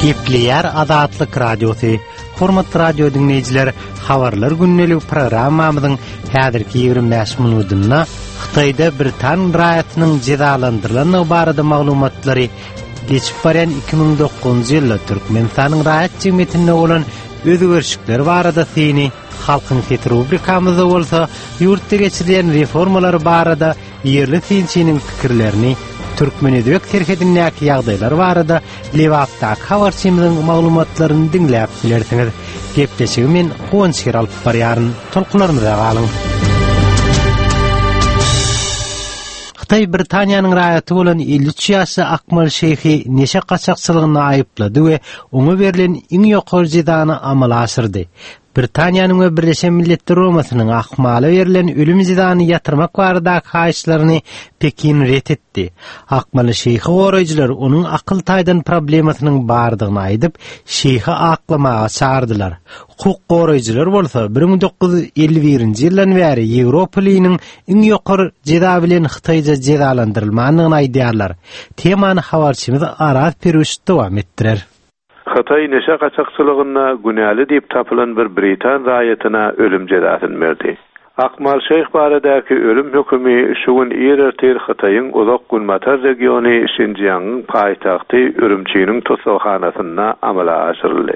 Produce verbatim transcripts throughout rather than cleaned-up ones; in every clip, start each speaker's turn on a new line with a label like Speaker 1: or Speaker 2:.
Speaker 1: Gepleýär Azatlyk Radiosy. Hormatly radio diňleýjiler, habarlar gündelik programmamyzyň häzirki ýigrimi bäş minutynda Hytaýda britan raýatynyň jezalandyrylandygy barada maglumatlary, geçip barýan iki müň dokuzynjy ýylda Türkmenistanyň raýat jemgyýetinde bolan özgerişlikler barada syny, Halkyň sesi rubrikamyzda bolsa ýurtda geçirilýän reformalar barada ýerli synçynyň pikirlerini, türkmen-özbek serhedindäki ýagdaýlar barada Lebapdaky habarçymyzyň maglumatlaryny diňläp bilersiňiz. Gepleşigi men Guwanç Şir alyp barýaryn. Tolkunlarymyza galyň. Hytaý Britaniýanyň raýaty bolan elli üç ýaşly Akmal Şeýhi neşe gaçakçylygynda aýyplady we oňa berlen iň ýokary jezany amala aşyrdy. Britaniýanyň we Birleşen Milletler Guramasynyň Akmala berlen ölüm jezany ýatyrmak baradaky haýyşlaryny Pekin ret etdi. Akmaly Şeýhi goraýjylar onuň akyl taýdan problemasynyň bardygyny aýdyp, Şeýhi aklamaga çagyrdylar. Hukuk goraýjylar bolsa bir müň dokuz ýüz elli birinji ýyldan bäri Ýewropalynyň iň ýokary jeza bilen Hytaýda jezalandyrylmandygyny aýdýarlar. Temany habarçymyz Araz Peruş dowam etdirer.
Speaker 2: Hytaý neşe gaçakçylygynda günäli diýip tapylan bir britan raýatyna ölüm jezasyny berdi. Akmal Şeýh baradaky ölüm hökümi şu gün ir ertir Hytaýyň uzak günbatar regiony Şinjiangyň paýtagty Ürümçiniň tussaghanasynda amala aşyryldy.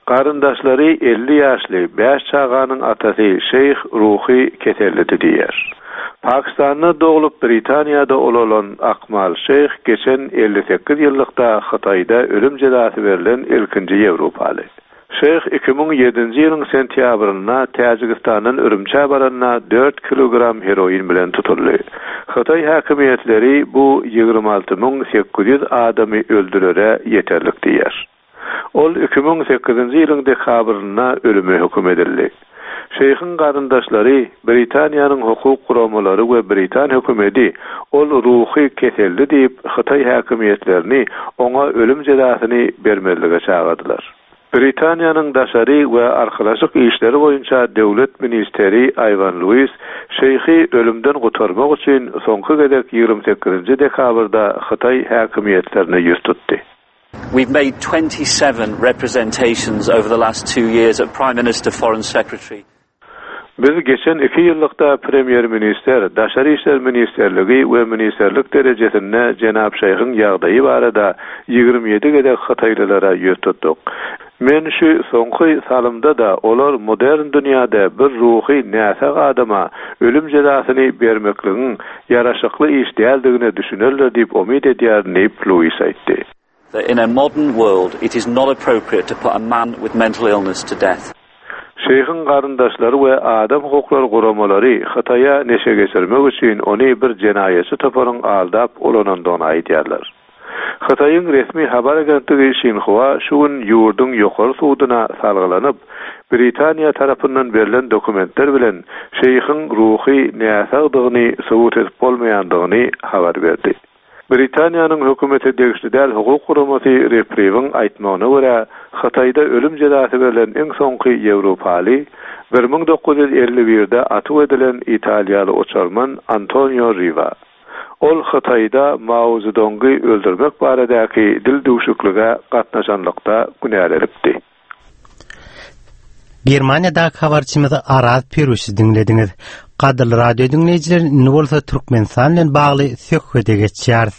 Speaker 2: Garyndaşlary elli ýaşly bäş çaganyň atasy Şeýh ruhy kesellidi diýer. Pakistanda doglup Britaniýada ulalan Akmal Şeýh geçen elli sekiz ýyllykda Hytaýda ölüm jezasy berlen ilkinji Ýewropaly. Şeýh iki müň ýedinji ýylyň sentýabrynda Täjigistandan Ürümçä baranda dört kilogram heroin bilen tutuldy. Hytaý häkimiýetleri bu ýigrimi alty müň sekiz ýüz adamy öldürere ýeterlik diýer. Ol iki müň sekizinji ýylyň dekabrynda ölüme höküm edildi. Şeýhiň garyndaşlary, Britaniýanyň hukuk guramalary we Britan hökümeti ol ruhy keseldi diýip Hytaý häkimiýetlerini oňa ölüm jezasyny bermezlige çagyrdylar. Britaniýanyň daşary we arkalaşyk işleri boýunça döwlet ministeri Iwan Lewis Şeýhi ölümden gutarmak üçin soňky gezek ýigrimi sekizinji dekabrda Hytaý häkimiýetlerine ýüz tutdy.
Speaker 3: We've made twenty-seven representations over the last two years at Prime Minister, Foreign Secretary.
Speaker 2: Biz geçen iki ýyllykda Premýer-minister, Daşary işler ministerligi we ministerlik derejesinde Jenap Şeýhiň ýagdaýy barada ýigrimi ýedi gezek Hytaýlylara ýüz tutduk. Men şu soňky salymda da olar modern dünýäde bir ruhy näsag adama ölüm jezasyny bermekligiň ýaraşykly iş däldigine düşünerler diýip umyt edýärin diýip Lewis aýtdy.
Speaker 3: That in a modern world it is not appropriate to put a man with mental illness to death.
Speaker 2: Şeýhiň garyndaşlary we adam hukuklary guramalary Hytaýa neşe geçirmek üçin ony bir jenaýatçy toparyň aldap ulanandygyny aýdýarlar. Hytaýyň resmi habar agentligi Xinhua şu gün ýurduň ýokary suduna salgylanyp, Britaniýa tarapyndan berlen dokumentler bilen Şeýhiň ruhy näsagdygyny subut edip bolmaýandygyny habar berdi. Britaniýanyň hökümeti degişli däl hukuk guramasy Repriviň aýtmagyna görä, Hytaýda ölüm jezasy berlen iň soňky Ýewropaly bir müň dokuz ýüz elli birde atyp edilen Italiýaly uçarman Antonio Riva. Ol Hytaýda Mao Zedongy öldürmek baradaky dil duşuklyga gatnaşanlykda günälenipdi.
Speaker 1: Germaniýadaky habarçymyzy Araz Peruşy diňlediňiz. Gadyrly radio diňleýjiler, indi bolsa Türkmenistan bilen bagly söhbete geçýäris.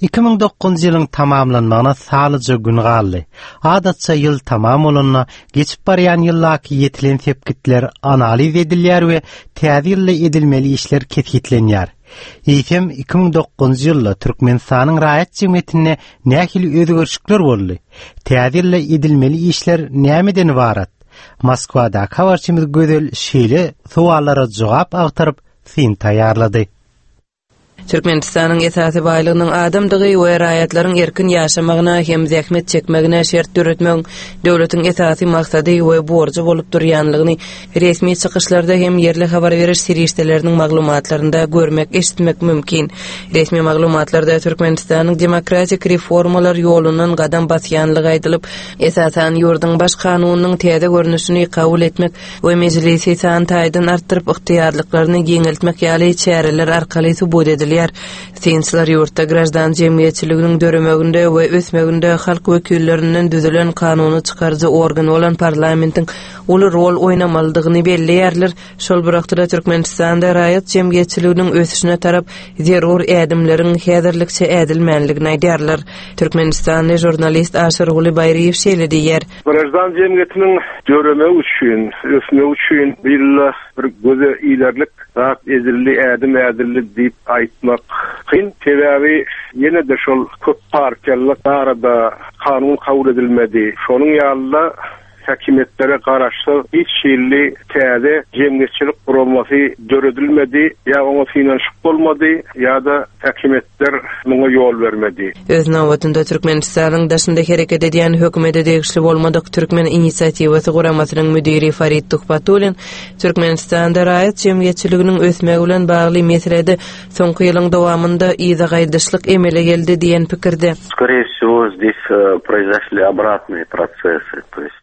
Speaker 1: Iki müň dokuzynjy ýylyň tamamlanmagyna salyja gün galdy. Adatça ýyl tamam bolanda geçip barýan ýyldaky ýetilen sepgitler analiz edilýär we täze ýylda edilmeli işler kesgitlenýär. Eýsem iki müň dokuzynjy ýylda Türkmenistanyň raýat jemgyýetinde nähili özgerişlikler boldy? Täze ýylda edilmeli işler nämeden ibarat? Moskwadaky habarçymyz Gözel şeýle sowallara jogap agtaryp syn taýýarlady.
Speaker 4: Türkmenistanyň esasy baýlygynyň adamdygy we raýatlaryň erkin ýaşamagyna hem zähmet çekmegine şert döretmegiň döwletiň esasy maksady we borjy bolup durýanlygyny resmi çykyşlarda hem ýerli habar beriş serişdeleriniň maglumatlarynda görmek, eşitmek mümkin. Resmi maglumatlarda Türkmenistanyň demokratik reformalar ýolundan gadam basýanlygy aýdylyp, esasan ýurduň baş kanunynyň täze görnüşini kabul etmek we mejlisi san taýdan artdyryp ygtyýarlyklaryny giňeltmek ýaly çäreler arkaly subut edilýär. belleýär. Synçylar ýurtda graždan jemgyýetçiliginiň döremeginde we ösmeginde halk wekillerinden düzülen kanuny çykaryjy organ bolan parlamentiň uly rol oýnamalydygyny belleýärler. Şol bir wagtda Türkmenistanda raýat jemgyýetçiliginiň ösüşine tarap zerur ädimleriň häzirlikçe ädilmänligini aýdýarlar. Türkmenistanly žurnalist Aşyrguly Baýryýew şeýle diýýär.
Speaker 5: Graždan jemgyýetiniň döremegi üçin, ösmegi üçin illa bir göze ilerlik zat edildi, ädim ädildi diýip aýtmak kyn. Sebäbi ýene-de şol köp partiýalylyk barada kanun kabul edilmedi. Şonuň ýaly häkimiýetlere garaşsyz hiç hili täze jemgyýetçilik guramasy döredilmedi, ýa oňa synanyşyk bolmady, ýa-da häkimiýetler muňa ýol bermedi.
Speaker 4: Öz nobatynda Türkmenistanyň daşynda hereket edýän hökümete degişli bolmadyk Türkmen inisiatiwasy guramasynyň müdiri Farid Tuhbatullin Türkmenistanda raýat jemgyýetçiliginiň ösmegi bilen bagly meselede soňky ýylyň dowamynda yza gaýdyşlyk emele geldi diýen pikirde.
Speaker 6: Скорее всего, здесь э, произошли обратные процессы, то есть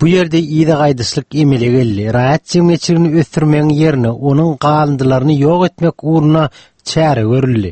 Speaker 1: Bu ýerde yza gaýdyşlyk emele geldi. Raýat jemgyýetçiligini ösdürmegiň ýerine onuň galyndylaryny ýok etmek ugruna çäre görüldi.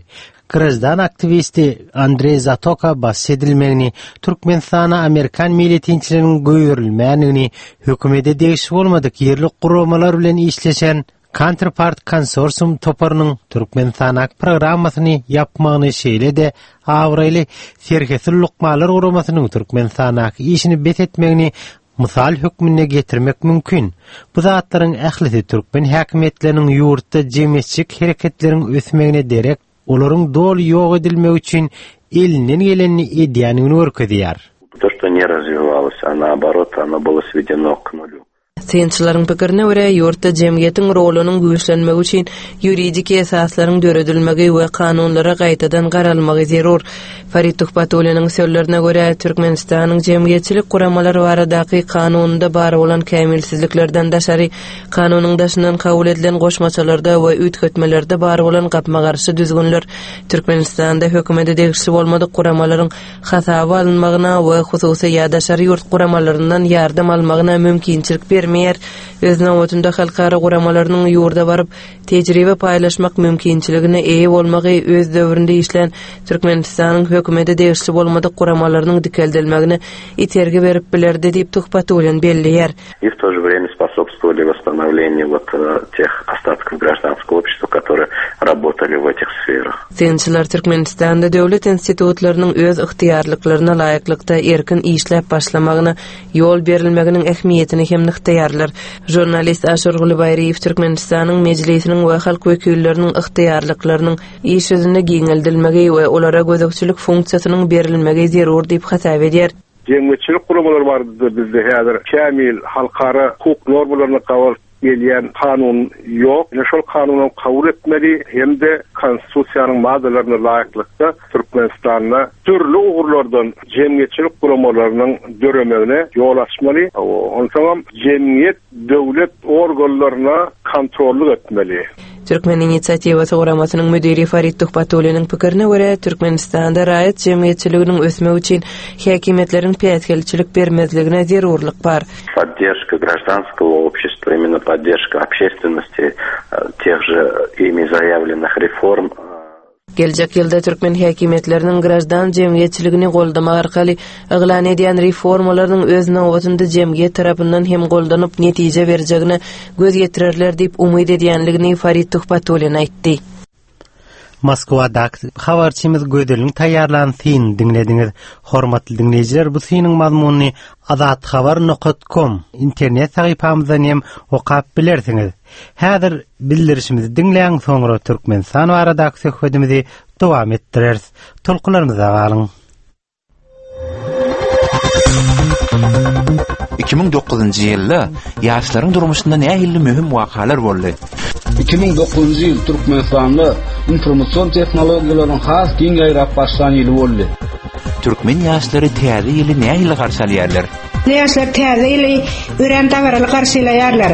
Speaker 1: Graždan aktiwisti Andrei Zatoka bas edilmegini, Türkmenistana Amerikan milletinçileriniň goýberilmändigini, hökümete degişli bolmadyk ýerli guramalar bilen işleşen Counterpart Konsorsium toparynyň Türkmenistana programmasyny ýapmagyny şeýle-de abraýly Serhetsiz lukmanlar guramasynyň Türkmenistanaky işini bes etmegini mysal hökmünde getirmek mümkin. Bu zatlaryň ählisi türkmen häkimiýetleriniň ýurtda jemgyýetçilik hereketleriň ösmegine derek olaryň doly ýok edilmegi üçin elinden gelenini edýänini görkezýär.
Speaker 6: То, что не развивалось, а наоборот, оно было сведено к нулю.
Speaker 4: Synçylaryň pikirine görä ýurtda jemgyýetiň rolunyň güýçlenmegi üçin ýuridik esaslaryň döredilmegi we kanunlara gaýtadan garalmagy zerur. Farid Tuhbatulliniň sözlerine görä Türkmenistanyň jemgyýetçilik guramalary baradaky kanunynda bar bolan kämilsizliklerden daşary kanunyň daşyndan kabul edilen goşmaçalarda we üýtgetmelerde bar bolan gapma-garşy düzgünler Türkmenistanda hökümete degişli bolmadyk guramalaryň hasaba alynmagyna we hususy ýa daşary ýurt guramalaryndan ýardam almagyna mümkinçilik bermeýär. Öz nobatynda halkara guramalarynyň ýurda baryp tejribe paýlaşmak mümkinçiligine eýe bolmagy öz döwründe işlän Türkmenistanyň hökümete degişli bolmadyk guramalarynyň dikeldilmegine itergi berip bilerdi diýip Tuhbatullin belleýär.
Speaker 6: И в то же время способствовали восстановлению вот э, тех остатков гражданского общества, которые работали в этих сферах.
Speaker 4: Synçylar Türkmenistanda döwlet institutlarynyň öz ygtyýarlyklaryna laýyklykda erkin işläp başlamagyna ýol berilmeginiň ähmiýetini hem nygtaýarlar. Žurnalist Aşyrguly Baýryýew Türkmenistanyň Mejlisiniň we halk wekilleriniň ygtyýarlyklarynyň iş ýüzünde giňeldilmegi we olara gözegçilik funksiýasynyň berilmegi zerur diýip hasap edýär.
Speaker 5: Jemgyýetçilik guramalary bardy bizde häzir kämil halkara hukuk normalaryna gabat gelýän kanun ýok. Ýene şol kanuny kabul etmeli hem-de konstitusiýanyň maddalaryna laýyklykda Türkmenistanda dürli ugurlardan jemgyýetçilik guramalarynyň döremegine ýol açmaly. Onsoňam jemgyýet döwlet organlaryna kontrollyk etmeli.
Speaker 4: Türkmen inisiatiwasy guramasynyň müdiri Farid Tuhbatulliniň pikirine görä Türkmenistanda raýat jemgyýetçiliginiň ösmegi üçin häkimiýetleriň päsgelçilik bermezligine zerurlyk bar.
Speaker 6: Поддержка гражданского общества, именно поддержка общественности, э, тех же ими заявленных реформ э,
Speaker 4: Geljek ýylda türkmen häkimiýetleriniň graždan jemgyýetçiligini goldamak arkaly yglan edýän reformalarynyň öz nobatynda jemgyýet tarapyndan hem goldanyp netije berjegine göz ýetirerler diýip umyt edýänligini Farid Tuhbatullin aýtdy.
Speaker 1: Moskwadaky habarçymyz Gözeliň taýýarlan synyny diňlediňiz. Hormatly diňleýjiler, bu synyň mazmunyny azathabar nokta com internet sahypamyzdan hem okap bilersiňiz. Häzir bildirişimizi diňläň, soňra Türkmenistan baradaky söhbetimizi dowam etdireris. Tolkunlarymyzda galyň.
Speaker 7: iki müň dokuzynjy ýylda ýaşlaryň durmuşynda nähili möhüm wakalar boldy?
Speaker 8: iki müň dokuzynjy ýyl Türkmenistanda informasion tehnologiýalaryň has giň ýaýrap başlan ýyly boldy.
Speaker 7: Türkmen ýaşlary täze ýyly nähili garşy alýarlar?
Speaker 9: Ýaşlar täze ýyly örän dabaraly garşylaýarlar.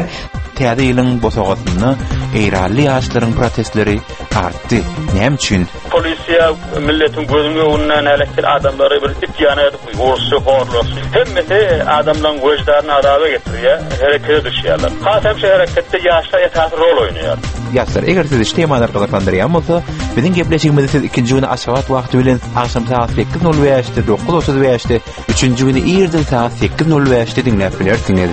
Speaker 7: Täze ýylyň bosagasynda Eýranly ýaşlaryň protestleri artdy. Näme üçin?
Speaker 9: Polisiýa milletiň gözüniň öňünde näletli adamlary bir it ýana edip urşy, horlasy. Hemmesi adamlaryň wejdaryny azaba getirýär, herekete düşýärler. Has hem şu hereketde ýaşlar esasy rol oýnaýar.
Speaker 7: Ýaşlar, eger sizi şu temalar gyzyklandyrýan bolsa, biziň gepleşigimizi siz ikinji güni Aşgabat wagty bilen agşam saat sekiz nol bäşde, dokuz otuz bäşde, üçünji güni irden saat sekiz nol bäşde diňläp bilersiňiz.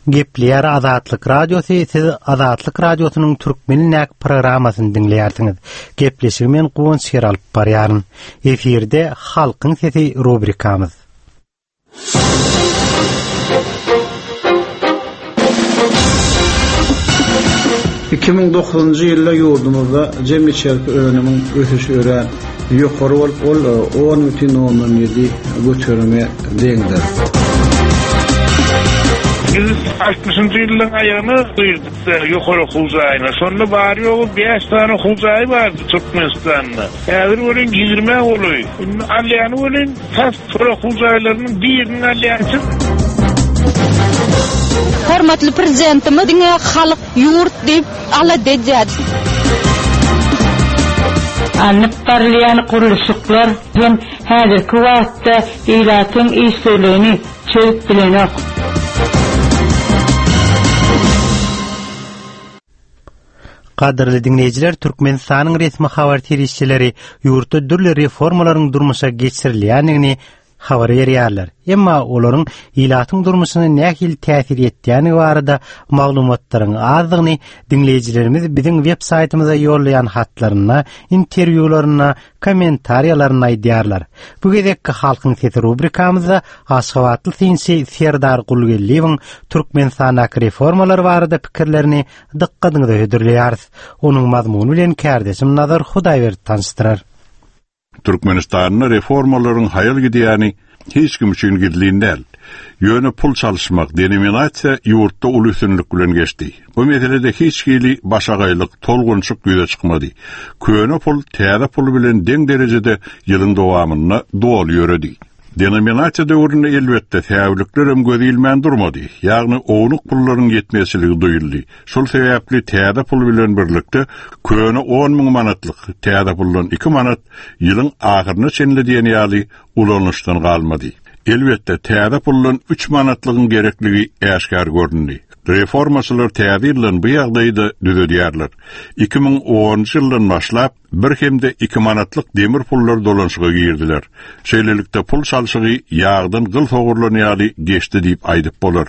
Speaker 1: Gepleýär Azatlyk Radiosy, siz Azatlyk Radiosynyň Türkmen programmasyny diňleýärsiňiz. Gepleşigi men Guwanç Şer alyp barýaryn. Efirde Halkyň sesi rubrikamyz.
Speaker 8: Iki müň dokuzunjy ýylda ýurdumyzda jem içerki önümiň ösüşi örän ýokary bolup, ol on bütin ondan ýedi göterime deňdir.
Speaker 10: Biz altmyşynjy ýyllaryň aýagyna girdik ýokary okuw jaýyna. Şonda bary ýogy bäş sany okuw jaýy bardy Türkmenistanda. Häzir welin ýigrimi golaý. Indi alýany welin tas şol okuw jaýlarynyň birini alýançy.
Speaker 11: Hormatly prezidentimiz diňe halk ýurt diýip alada edýär.
Speaker 12: Alnyp barylýan gurluşyklar hem häzirki wagtda ilatyň işsizligini çözüp bilenok.
Speaker 1: Gadyrly dinleýjiler, Türkmenistanyň resmi habar serişdeleri ýurtda dürli reformalaryň durmuşa geçirilýändigini habar berýärler. Emma olaryň ilatyň durmuşyna nähili täsir etýäni barada maglumatlaryň azdygyny dinleýjilerimiz biziň web saýtymyza ýollaýan hatlarynda, interwýularynda, kommentariýalarynda aýdýarlar. Bu gezekki Halkyň sesi rubrikamyzda Aşgabatly synçy Serdar Gulgeldiýewiň Türkmenistandaky reformalar barada pikirlerini dykgatyňyza hödürleýäris. Onuň mazmuny bilen kärdeşim Nazar Hudaýberdi tanyşdyrar.
Speaker 13: Türkmenistanda reformalaryň haýal gidýäni hiç kim üçin gizlin däl. Ýöne pul çalyşmak, denominasiýa ýurtda uly üstünlik bilen geçdi. Bu meselede hiç hili başagaýlyk, tolgunçyk ýüze çykmady. Köne pul täze pul bilen deň derejede ýylyň dowamynda doly ýöredi. Denominasiýa döwründe elbetde säwlikler hem göz ilmän durmady. Ýagny ownuk pullaryň ýetmezçiligi duýuldy. Şol sebäpli täze pul bilen birlikde köne on müň manatlyk täze puldan iki manat ýylyň ahyryna çenli diýen ýaly ulanyşdan galmady. Elbetde täze puldan üç manatlygyň gerekligi äşgär göründi. Reformaçylar täze ýyldan bu ýagdaýy düzedýärler. Iki müň onunjy ýyldan başlap bir hem-de iki manatlyk demir pullar dolanşyga girdiler. Şeýlelikde pul çalşygy ýagdan gyl sogurlan ýaly geçdi diýip aýdyp bolar.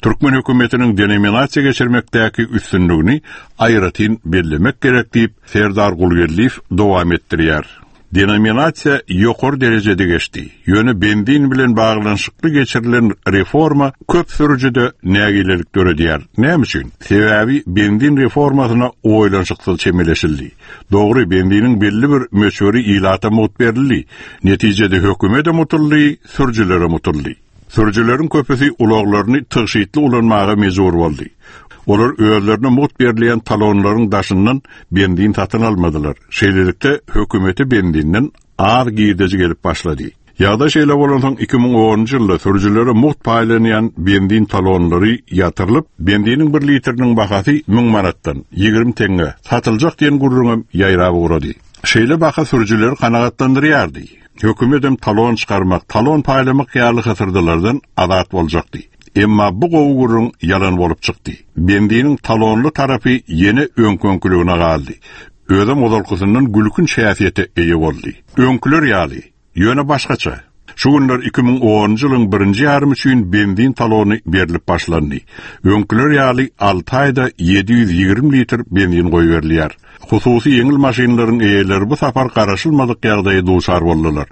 Speaker 13: Türkmen hökümetiniň denominasiýa geçirmekdäki üstünligini aýratyn bellemek gerek diýip Serdar Gulgeldiýew dowam etdirýär. Denominasiýa ýokary derejede geçdi. Ýöne benzin bilen baglanyşykly geçirilen reforma köp sürüjide nägilelik döredýär. Näme üçin? Sebäbi benzin reformasyna oýlanyşyksyz çemeleşildi. Dogry, benziniň belli bir möçberi ilata mugt berildi. Netijede hökümete mutuldy, sürüjilere mutuldy. Sürüjileriň köpüsi ulaglaryny tygşytly ulanmaga mejbur boldy. Olar özlerine mugt berilýän talonlaryň daşyndan benzin satyn almadylar. Şeýlelikde hökümete benzinden az girdeji gelip başlady. Ýagdaý şeýle bolansoň iki müň onunjy ýylda sürüjilere mugt paýlanýan benzin talonlary ýatyrylyp, benziniň bir litriniň bahasy müň manatdan ýigrimi teňňe satyljak diýen gürrüňem ýaýrap ugrady. Şeýle baha sürüjileri kanagatlandyrýardy. Hökümet hem talon çykarmak, talon paýlamak ýaly hysyrdylardan azat boljakdy. Emma bu gowy gürrüň ýalan bolup çykdy. Benziniň talonly tarapy ýene öňküňkiligine galdy. Özem ozalkysyndan gülkünç häsiýete eýe boldy. Öňküler ýaly, ýöne başgaça. Şu günler iki müň onunjy ýylyň birinji ýarymy üçin benzin talony berilip başlandy. Öňküler ýaly alty aýda ýedi ýüz ýigrimi litr benzin goýberilýär. Hususy ýeňil maşynlaryň eýeleri bu sapar garaşylmadyk ýagdaýa duçar boldular.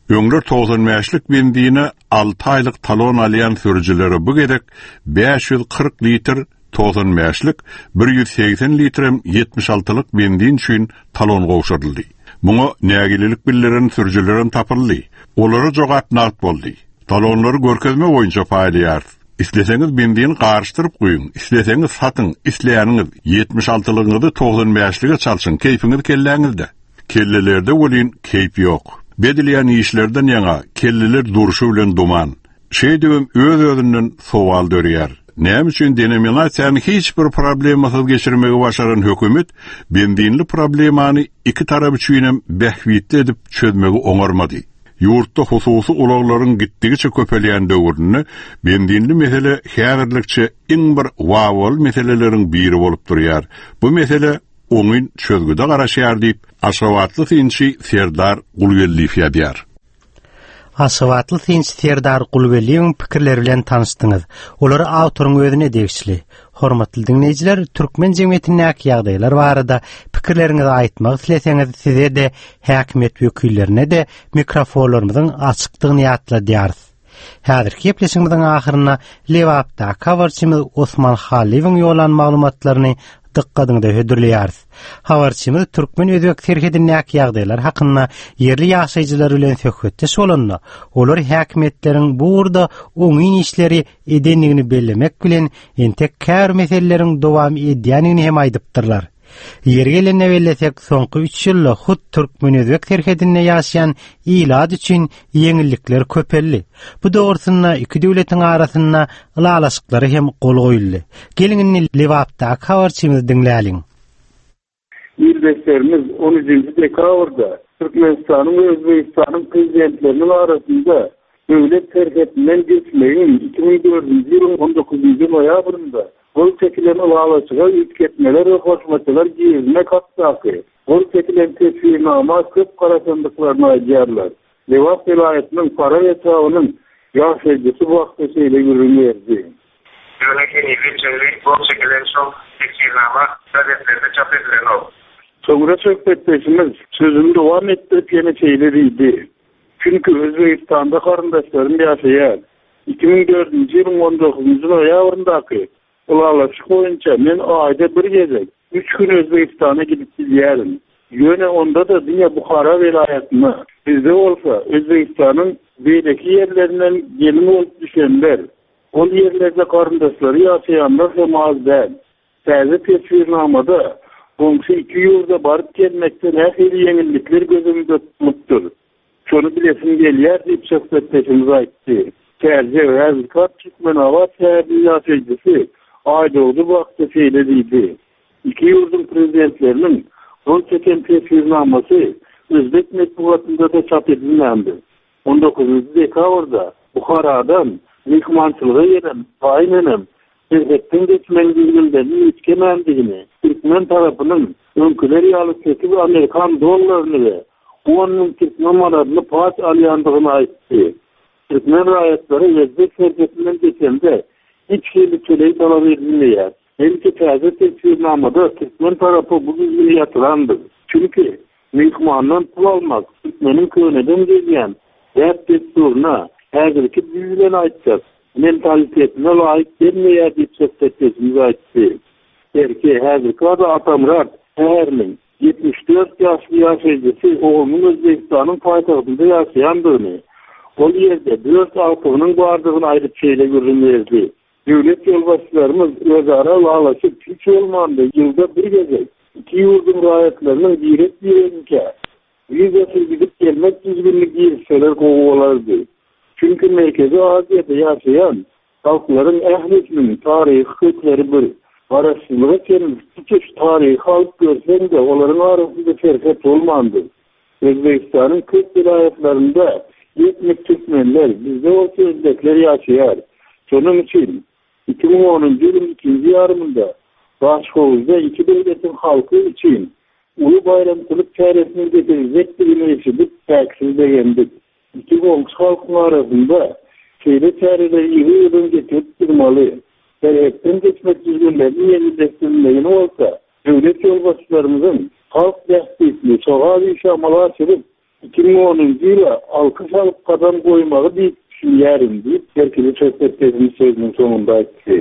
Speaker 13: Öňler togsan bäşlik benzine alty aýlyk talon alýan sürüjilere bu gezek bäş ýüz kyrk litr togsan bäşlik, bir ýüz segsen litrem ýetmiş altylyk benzin üçin talon gowşuryldy. Muňa nägilelik bildiren sürüjilerem tapyldy. Olara jogap nagt boldy. Talonlary görkezme boýunça paýlaýarys. Isleseňiz benzini garyşdyryp goýuň, isleseňiz satyň, isleýäniňiz ýetmiş altylygyňyzy togsan bäşlige çalşyň, keýpiňiz kelläňizde. Kellelerde welin keýp ýok. Bedilýän işlerden ýaňa kelleler durşy bilen duman. Şeýdibem öz-özünden sowal dörýär. Näme üçin denominasiýany hiç bir problemasyz geçirmegi başaran hökümet benzinli problemany iki tarap üçin hem bähbitli edip çözmegi oňarmady. Ýurtda hususy ulaglaryň gitdigiçe köpelýän döwründe benzinli mesele häzirlikçe iň bir wawal meseleleriň biri bolup durýar. Bu mesele oňyn çözgüde garaşýar diýip, Aşgabatly synçy Serdar Gulgeldiýew ýazýar.
Speaker 1: Aşgabatly synçy Serdar Gulgeldiýewiň pikirleri bilen tanyşdyňyz. Olar awtoryň özüne degişli. Hormatly diňleýjiler, türkmen jemgyýetindäki ýagdaýlar barada pikirleriňizi aýtmak isleseňiz, size-de häkimiýet wekillerine-de mikrofonlarymyzyň açykdygyny ýatladýarys. Häzirki gepleşigimiziň ahyrynda Lebapdaky habarçymyz Osman Halyýewiň ýollan maglumatlaryny dykgatyňyza hödürleýäris. Habarçymyz türkmen-özbek serhedindäki ýagdaýlar hakynda ýerli ýaşaýjylar bilen söhbetdeş bolanda, olar häkimiýetleriň bu ugurda oňyn işleri edendigini bellemek bilen entek käbir meseleleriň dowam edýändigini hem aýdypdyrlar. Ýeri gelende bellesek, soňky üç ýylda hut türkmen-özbek serhedinde ýaşaýan ilat üçin ýeňillikler köpeldi. Bu dogrusynda iki döwletiň arasynda ylalaşyklary hem gol goýuldy. Geliň indi Lebapdaky habarçymyzy diňläliň.
Speaker 14: Ildeşlerimiz on üçünji dekabrda Türkmenistanyň we Özbegistanyň prezidentleriniň arasynda döwlet serhedinden geçmegiň iki müň dördünji ýylyň on dokuzynjy noýabrynda gol çekilen ylalaşyga üýtgetmeler we goşmaçalar girizmek hakdaky gol çekilen teswirnama köp garaşandyklaryny aýdýarlar. Lebap welaýatynyň Farap etrabynyň ýaşaýjysy bu hakda şeýle gürrüň berdi.
Speaker 15: Ýöne henize çenli gol çekilen şol teswirnama gazetlerde çap edilenok.
Speaker 14: Soňra söhbetdeşimiz sözüni dowam etdirip ýene şeýle diýdi. Çünki Özbegistanda garyndaşlarym ýaşaýar. iki müň dördünji ýylyň on dokuzynjy noýabryndaky ylalaşyk boýunça men aýda bir gezek üç gün Özbegistana gidip bilýärin. Ýöne onda-da diňe Buhara welaýatyna, bizde bolsa Özbegistanyň beýleki ýerlerinden gelin bolup düşenler, ol ýerlerde garyndaşlary ýaşaýanlar hem az däl. Täze teswirnamada goňşy iki ýurda baryp gelmekde nähili ýeňillikler göz öňünde tutulypdyr. Şony bilesim gelýär diýip söhbetdeşimiz aýtdy. Täze häzirki Türkmenabat şäheriniň ýaşaýjysy Aýdogdy bu hakda şeýle diýdi. Iki ýurduň prezidentleriniň gol çeken teswirnamasy Özbek metbugatynda-da çap edilmändi. on dokuzynjy dekabrda Buharadan myhmançylyga gelen gaýynenem serhetden geçmegiň düzgünlerini üýtgemändigini, türkmen tarapynyň öňküler ýaly sekiz amerikan dollaryny we on müň türkmen manadyny paç alýandygyny aýtdy. Türkmen raýatlary Özbek serhedinden geçende hiç hili töleg talap edilmeýär. Belki täze teswirnamada türkmen tarapy bu düzgüni ýatyrandyr. Çünki myhmandan pul almak türkmeniň köneden gelýän däp-dessuryna, häzirki dil bilen aýtsak, mentalitetine laýyk gelmeýär diýip söhbetdeşimiz aýtdy. Belki häzirki wagtda Atamyrat şäheriniň ýetmiş dört ýaşly ýaşaýjysy oglunyň Özbegistanyň paýtagtynda ýaşaýandygyny, ol ýerde dört agtygynyň bardygyny aýdyp şeýle gürrüň berdi. Döwlet ýolbaşçylarymyz özara ylalaşyp hiç bolmanda ýylda bir gezek iki ýurduň raýatlarynyň birek-bireginkä wizasyz gidip gelmek düzgünini girizseler gowy bolardy. Çünki Merkezi Aziýada ýaşaýan halklaryň ählisiniň taryhy kökleri bir. Garaşsyzlyga çenli tutuş taryhy alyp görseň-de olaryň arasynda serhet bolmandy. Özbegistanyň köp welaýatlarynda etnik türkmenler, bizde bolsa özbekler ýaşaýar. Şonuň üçin iki müň onunjy ýylyň ikinji ýarymynda Daşhowuzda iki döwletiň halky üçin uly baýramçylyk çäresiniň geçiriljekdigini eşidip çäksiz begendik. Iki goňşy halkyň arasynda şeýle çäreleri ýygy-ýygydan geçirip durmaly. Serhetden geçmek düzgünlerini ýeňilleşdirilmegini bolsa, döwlet ýolbaşçylarymyzyň halk bähbitli sogap işi amala aşyryp, iki müň onunjy ýyla alkyş alyp gadam goýmagy diýip düşünýärin diýip, Berkeli söhbetdeşimiz sözüniň soňunda aýtdy.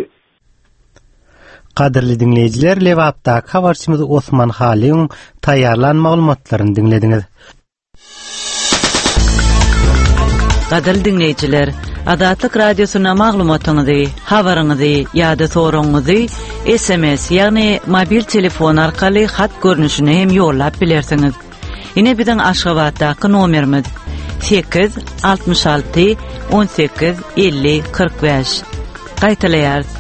Speaker 1: Gadyrly diňleýjiler, Lebapdaky habarçymyz Osman Halyň taýýarlan maglumatlaryny diňlediňiz.
Speaker 16: Gadyrly diňleýjiler, Azatlyk Radiosyna maglumatyňyzy, habaryňyzy ýa-da soragyňyzy S M S, ýagny mobil telefon arkaly hat görnüşine hem ýollap bilersiňiz. Ine biziň Aşgabatdaky nomerimiz sekiz altmyş alty on sekiz elli kyrk bäş. Gaýtalaýarys.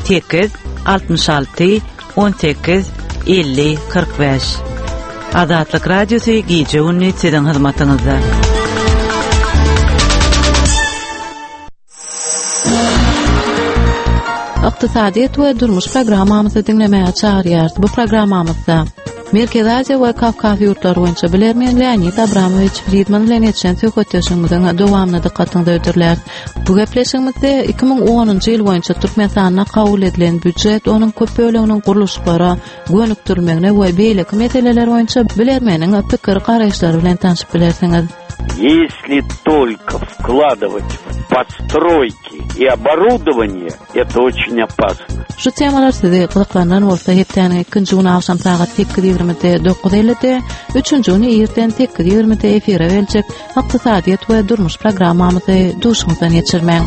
Speaker 16: Sekiz, altmyş alty, on sekiz, elli, kyrk bäş. Azatlyk Radiosy gije-gündiz siziň hyzmatyňyzda.
Speaker 17: Ykdysadyýet we durmuş programmamyzy diňlemäge çagyrýarys. Bu programmamyzda Merkezi Aziýa we Kawkaz ýurtlary boýunça bilermen Leonid Abramowiç Fridman bilen geçen söhbetdeşligimiziň dowamyny dykgatyňyza hödürläris. Bu gepleşigimizde iki müň onunjy ýyl boýunça Türkmenistanda kabul edilen býujet, onuň köp böleginiň gurluşyklara gönükdirilmegine we beýleki meseleler boýunça bilermeniň pikir garaýyşlary bilen tanşyp bilersiňiz.
Speaker 18: Если только вкладывать в постройки и оборудование, это очень опасно.
Speaker 17: Şu temalar sizi gyzyklandyran bolsa, hepdäniň ikinji güni agşam sagat sekiz ýigrimide dokuz ellide, üçünji güni irden sekiz ýigrimide efire geljek Ykdysadyýet we durmuş programmamyzy duşuňyzdan geçirmäň.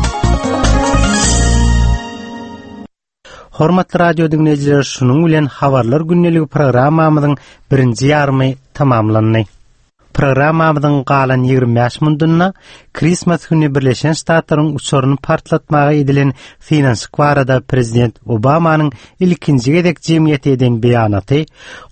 Speaker 1: Hormatly radio dinleýjiler, şunuň bilen habarlar gündeligi programmamyzyň birinji ýarymy tamamlandy. Programmamyzyň galan ýigrimi bäş mundunda Christmas güni Birleşen Ştatlaryň uçaryny partlatmaga edilen synanyşyk barada Prezident Obamanyň ilkinji gezek jemgyýete eden beýanaty,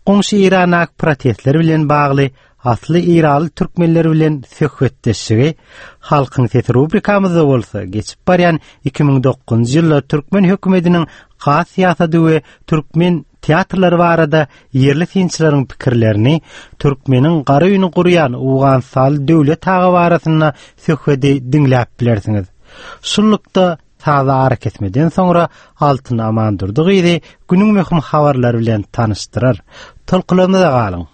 Speaker 1: goňşy Irana protestler bilen bagly asly Iraly türkmenler bilen söhbetdeşligi, Halkyň sesi rubrikamyzda bolsa geçip barýan iki müň dokuzynjy ýylda türkmen hökümetiniň gaz syýasaty we türkmen teatrlary barada ýerli synçylaryň pikirlerini, türkmeniň gara öýüni gurýan Owganystanly döwlet agy barasynda söhbedi diňläp bilersiňiz. Şunlukda sazly ara kesmeden soňra Altyn Amandurdy gyzy günüň möhüm habarlary bilen tanyşdyrar. Tolkularymyza galyň.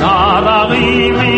Speaker 19: Daragimi